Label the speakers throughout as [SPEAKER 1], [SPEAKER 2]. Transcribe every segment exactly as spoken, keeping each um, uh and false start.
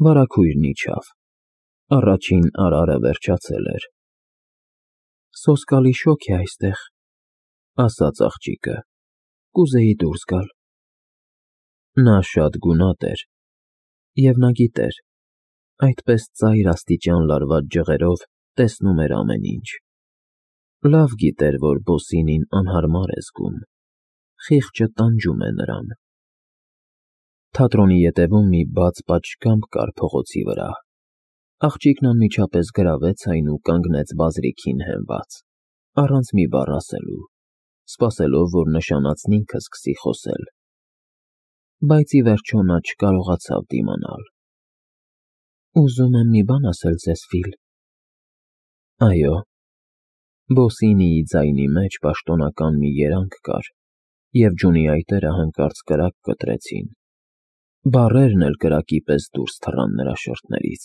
[SPEAKER 1] Վարագույրն իջավ, առաջին արարը վերջացել էր։ Սոսկալի շոգ է այստեղ, ասաց աղջիկը, կուզեի դուրս գալ։ Նա շատ գունատ էր, և նա գիտեր, այդպես ծայր աստիճան լարված ջղերով տեսնում էր ամեն ինչ։ Լավ գիտեր, որ Բոսինին անհարմար է զգում, խիղճը տանջում է նրան։ Թատրոնի ետևում մի բաց պատշգամբ կար փողոցի վրա։ Աղջիկն անմիջապես գրավեց այն ու կանգնեց բազրիքին հենված, առանց մի բառ ասելու, սպասելով, որ նշանածն ինքը սկսի խոսել։ Բայց ի վերջո նա չկարողացավ դիմանալ։ Ուզում եմ մի բան ասել ձեզ, Ֆիլ։ Այո։ Բոսինիի ձայնի մեջ պաշտոնական մի երանգ կար, և ջունի այտերը հանկարծ կրակ կտրեցին։ Բառերն էլ կրակի պես դուրս թռան նրա շրթներից։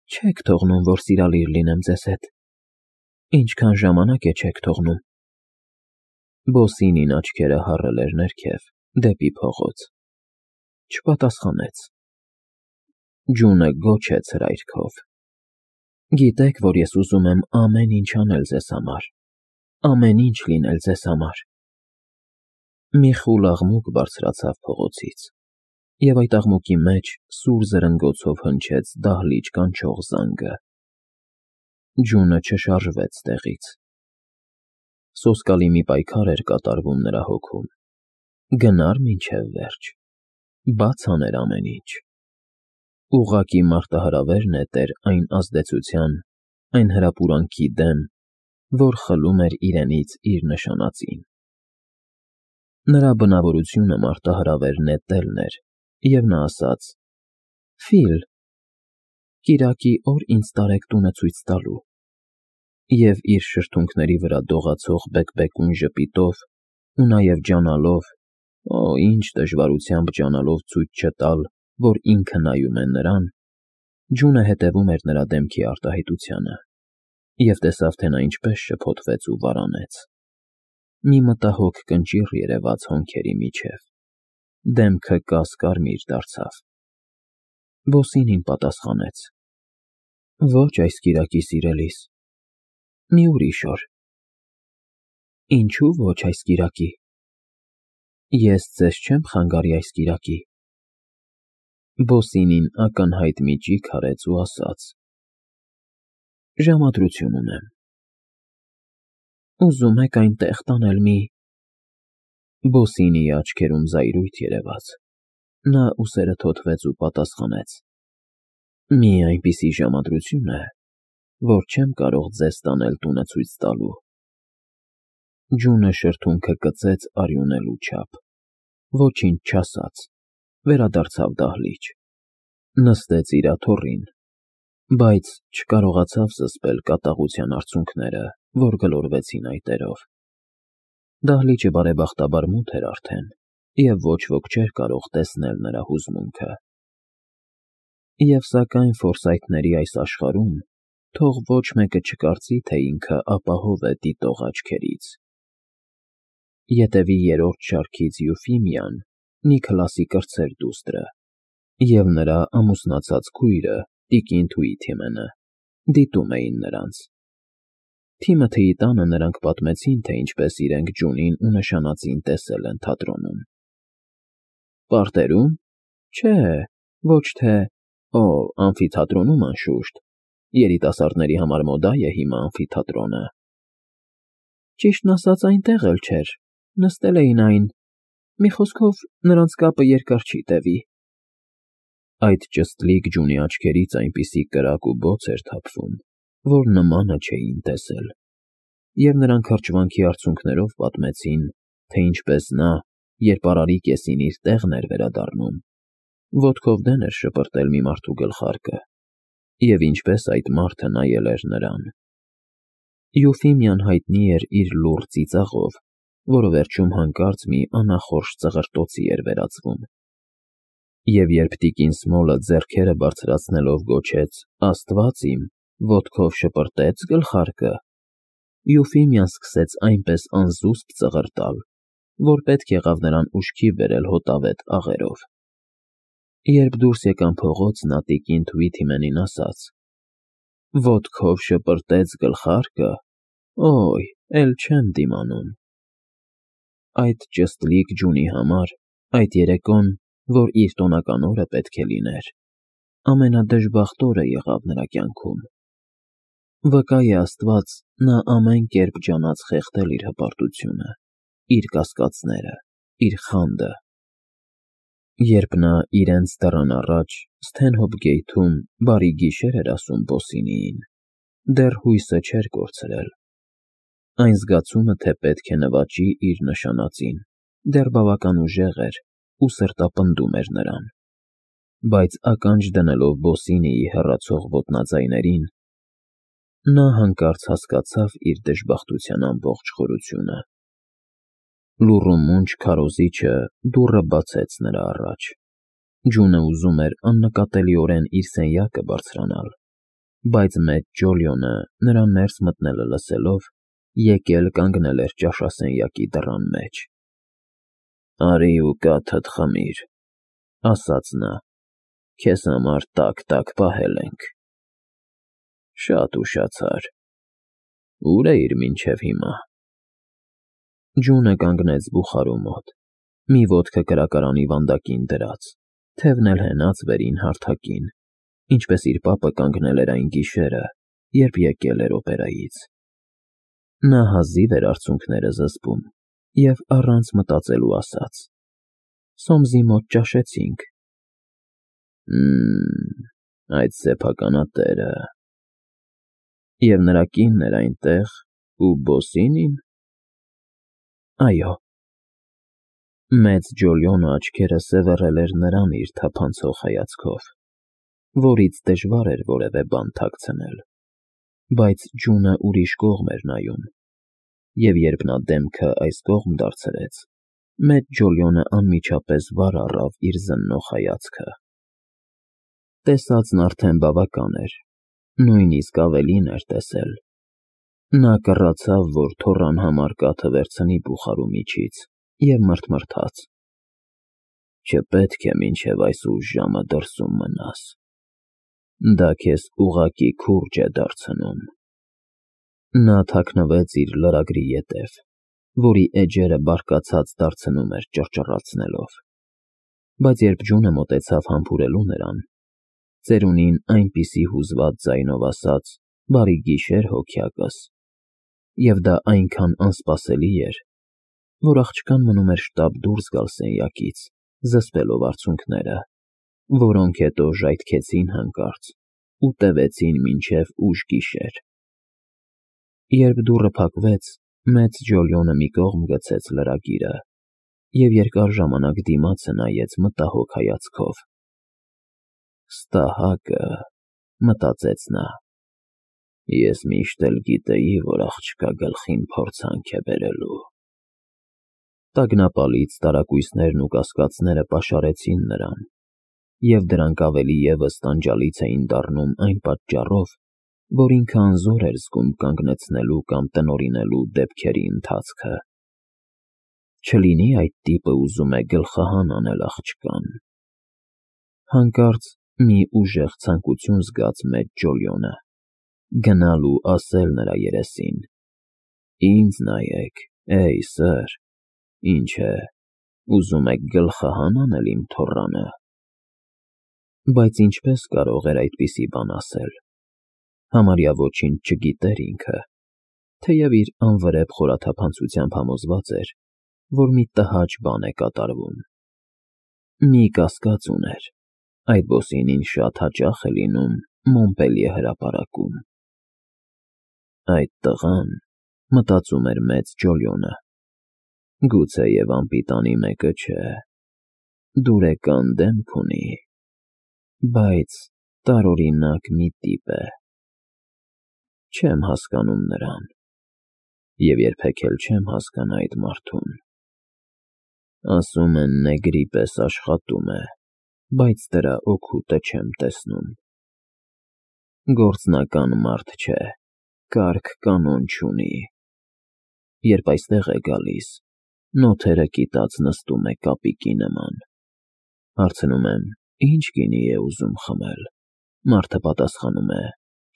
[SPEAKER 1] Չեք թողնում, որ սիրալիր լինեմ ձեզ հետ։ Ինչքան ժամանակ է չեք թողնում։ Բոսինին աչքերը հառել էր ներքև, դեպի փողոց։ Չպատասխանեց։ Ջունը գոչեց հրայրքով. Գիտեք, որ ես ուզում եմ ամեն ինչ անել ձեզ համար, ամեն ինչ լինել ձեզ համար։ Մի խուլ աղմուկ բարձրացավ փողոցից, և այդ աղմուկի մեջ սուր զրնգոցով հնչեց դահլիճ կանչող զանգը։ Ջունը չշարժվեց տեղից։ Սոսկալի մի պայքար էր կատարվում նրա հոգում։ Գնար մինչև վերջ, բաց աներ ամեն ինչ։ Ուղղակի մարտահրավեր նետեր այն ազդեցության, այն հրապուրանքի դեմ, որ խլում էր իրենից իր նշանածին։ Նրա բնավորությունը մարտահրավեր նետելն էր, և նա ասաց. Ֆիլ, կիրակի օր ինձ տարեք տունը ցույց տալու։ Եվ իր շրթունքների վրա դողացող բեկբեկուն ժպիտով ու նաև ջանալով, օ, ինչ դժվարությամբ ջանալով ցույց չտալ, որ ինքը նայում է նրան, Ջունը հետևում էր նրա դեմքի արտահայտությանը, և տեսավ, թե նա ինչպես շփոթվեց ու վարանեց։ Մի մտահոգ կնճիռ երևաց հոնքերի միջև, դեմքը կաս֊կարմիր դարձավ։ Բոսինին պատասխանեց. Ոչ այս կիրակի, սիրելիս, մի ուրիշ օր։ Ինչու ոչ այս կիրակի։ Ես ձեզ չեմ խանգարի այս կիրակի։ Բոսինին ակնհայտ մի ճիգ արեց ու ասաց. Ժամադրություն ունեմ։ Ուզում եք այնտեղ տանել մի… Բոսինիի աչքերում զայրույթ երևաց։ Նա ուսերը թոթվեց ու պատասխանեց. Մի այնպիսի ժամադրություն է, որ չեմ կարող ձեզ տանել տունը ցույց տալու։ Ջունը շրթունքը կծեց արյունելու չափ, ոչինչ չասաց, վերադարձավ դահլիճ, նստեց իր աթոռին, բայց չկարողացավ զսպել կատաղության արցունքները, որ գլորվեցին այտերով։ Դահլիճը բարեբախտաբար մութ էր արդեն, և ոչ ոք չէր կարող տեսնել նրա հուզմունքը։ Եվ սակայն ֆորսայթների այս աշխարհում թող ոչ մեկը չկարծի, թե ինքը ապահով է դիտող աչքերից։ Ետևի երրորդ շարքից Յուֆիմիան մի քլասի կրտսեր դուստրը և նրա ամուսնացած քույրը տիկին Թուիթիմենը դիտում էին նրանց։ Թիմոթեի տանը նրանք պատմեցին, թե ինչպես իրենք Ջունին ու նշանածին տեսել են թատրոնում։ Պարտերո՞ւմ։ Չէ, ոչ թե… Օ, ամֆիթատրոնում, անշուշտ, երիտասարդների համար մոդա է հիմա ամֆիթատրոնը։ Ճիշտն ասած, այնտեղ էլ չէր, նստել էին այն… Մի խոսքով, նրանց կապը երկար չի տևի։ Այդ ճստլիկ Ջունի աչքերից այնպիսի կրակ ու բոց էր թափվում, որ նմանը չէին տեսել, և նրանք հրճվանքի արցունքներով պատմեցին, թե ինչպես նա, երբ արարի կեսին իր տեղն էր վերադառնում, ոտքով դեն էր շպրտել մի մարդու գլխարկը, և ինչպես այդ մարդը նայել էր նրան։ Յուֆիմիան հայտնի էր իր լուռ ծիծաղով, որը վերջում հանկարծ մի անախորժ ծղրտոցի էր վերածվում։ Եվ երբ տիկին Սմոլը ձեռքերը բարձրացնելով գոչեց. Աստված իմ, ոտքով շպրտե՞ց գլխարկը, Յուֆիմիան սկսեց այնպես անզուսպ ծղրտալ, որ պետք եղավ նրան ուշքի բերել հոտավետ աղերով։ Երբ դուրս եկան փողոց, նա տիկին Թվիթիմենին ասաց. «Ոտքով շպրտեց գլխարկը, օй, էլ չեմ դիմանում»։ Այդ ճստլիկ ջունի համար այդ երեկոն, որ իր տոնական օրը պետք է լիներ, ամենադժբախտ օրը եղավ նրա կյանքում։ Վկա է Աստված, նա ամեն կերպ ջանաց խեղդել իր հպարտությունը, իր կասկածները, իր խանդը։ Երբ նա իրենց դռան առաջ Սթենհոփ գեյթում բարի գիշեր էր ասում Բոսինիին, դեռ հույսը չէր կորցրել։ Այն զգացումը, թե պետք է նվաճի իր նշանածին, դեռ բավական ուժեղ էր ու սրտապնդում էր նրան։ Բայց ականջ դնելով Բոսինիի հեռացող ոտնաձայներին, նա հանկարծ հասկացավ իր դժբախտության ամբողջ խորությունը։ Լուռ ու մունջ քարոզիչը դուռը բացեց նրա առաջ։ Ջունը ուզում էր աննկատելիորեն իր սենյակը բարձրանալ, բայց մեծ Ջոլիոնը նրան ներս մտնելը լսելով, եկել կանգնել էր ճաշասենյակի դռան մեջ։ «Արի ու կաթդ խմիր», ասաց նա, «քեզ համար տաք֊տաք պահել ենք»։ Շատ ուշացար։ Ուր էիր մինչև հիմա։ Ջունը կանգնեց բուխարու մոտ, մի ոտքը կրակարանի վանդակին դրած, թևն էլ հենած վերին հարթակին, ինչպես իր պապը կանգնել էր այն գիշերը, երբ եկել էր օպերայից։ Նա հազիվ էր արցունքները զսպում և առանց մտածելու ասաց. «Սոմսի մոտ ճաշեցինք»։ Մմ, այդ սեփականատերը… Եվ նրա կինն էր այնտեղ, ու Բոսինի՞ն։ Այո։ Մեծ Ջոլիոնը աչքերը սևեռել էր նրան իր թափանցող հայացքով, որից դժվար էր որևէ բան թաքցնել, բայց ջունը ուրիշ կողմ էր նայում, և երբ նա դեմքը այս կողմ դարձրեց, մեծ Ջոլիոնը անմիջապես վար առավ իր զննող հայացքը։ Տեսածն արդեն բավական էր, նույնիսկ ավելին էր տեսել։ Նա կռացավ, որ թոռան համար կաթը վերցնի բուխարու միջից և մռթմռթաց. «Չպետք է մինչև այս ուշ ժամը դրսում մնաս, դա քեզ ուղղակի քուրջ է դարձնում»։ Նա թաքնվեց իր լրագրի ետև, որի էջերը բարկացած դարձնում էր ճռճռացնելով, բայց երբ ջունը մոտեցավ համբուրելու նրան, ծերունին այնպիսի հուզված ձայնով ասաց. «Բարի գիշեր, հոգյակս», և դա այնքան անսպասելի էր, որ աղջկան մնում էր շտապ դուրս գալ սենյակից, զսպելով արցունքները, որոնք հետո ժայթքեցին հանկարծ ու տևեցին մինչև ուշ գիշեր։ Երբ դուռը փակվեց, մեծ Ջոլիոնը մի կողմ գցեց լրագիրը և երկար ժամանակ դիմացը նայեց մտահոգ հայացքով։ «Ստահակը», մտածեց նա, «ես միշտ էլ գիտեի, որ աղջկա գլխին փորձանք է բերելու»։ Տագնապալից տարակույսներն ու կասկածները պաշարեցին նրան, և դրանք ավելի ևս տանջալից էին դառնում այն պատճառով, որ ինքը անզոր էր զգում կանգնեցնելու կամ տնօրինելու դեպքերի ընթացքը։ Չլինի՞ այդ տիպը ուզում է գլխահան անել աղջկան։ Հանկարծ մի ուժեղ ցանկություն զգաց մեծ Ջոլիոնը, գնալ ու ասել նրա երեսին. «Ինձ նայեք, էյ, սըր, ինչ է, ուզում եք գլխահա՞ն անել իմ թոռանը»։ Բայց ինչպես կարող էր այդպիսի բան ասել։ Համարյա ոչինչ չգիտեր ինքը, թեև իր անվրեպ խորաթափանցությամբ համոզված էր, որ մի տհաճ բան է կատարվում։ Մի կասկած ուներ. այդ Բոսինին շատ հաճախ է լինում Մոնպելիե հրապարակում։ «Այդ տղան», մտածում էր մեծ Ջոլիոնը, «գուցեև անպիտանի մեկը չէ, դուրեկան դեմք ունի, բայց տարօրինակ մի տիպ է։ Չեմ հասկանում նրան և երբեք էլ չեմ հասկանա այդ մարդուն։ Ասում են նեգրի պես աշխատում է, բայց դրա օգուտը չեմ տեսնում։ Գործնական մարդ չէ, կարգ֊կանոն չունի։ Երբ այստեղ է գալիս, նոթերը կիտած նստում է կապիկի նման։ Հարցնում եմ, Ինչ գինի է ուզում խմել։ Մարդը պատասխանում է.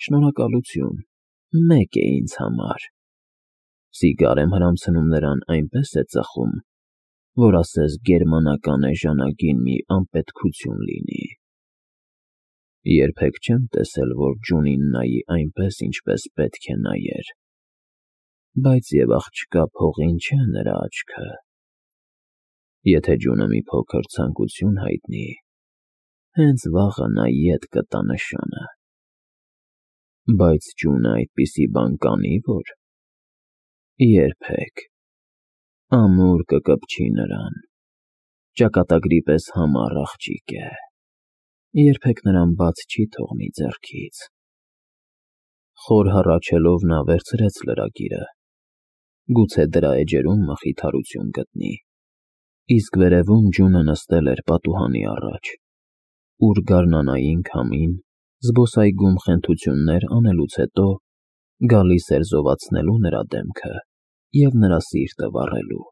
[SPEAKER 1] շնորհակալություն, մեկ է ինձ համար։ Սիգար եմ հրամցնում նրան այնպես է ծխում, որ ասես գերմանական էժանագին մի անպետքություն լինի։ Երբեք չեմ տեսել, որ Ջունին նայի այնպես, ինչպես պետք է նայեր, բայց և աղջկա փողին չէ նրա աչքը։ Եթե Ջունը մի փոքր ցանկություն հայտնի, հենց վաղը նա ետ կտա նշանը։ Բայց Ջունը այդպիսի բան կանի՞ որ։ Երբեք։ Ամուր կկպչի նրան, ճակատագրի պես համառ աղջիկ է, երբեք նրան բաց չի թողնի ձեռքից։ Խոր հառաչելով նա վերցրեց լրագիրը, գուցե դրա էջերում մխիթարություն գտնի, իսկ վերևում Ջունը նստել էր պատուհանի առաջ, ուր գարնանային քամին, զբոսայգում խենթություններ անելուց հետո, գալիս էր զովացնելու նրա դեմքը և նրա սիրտը վառելու։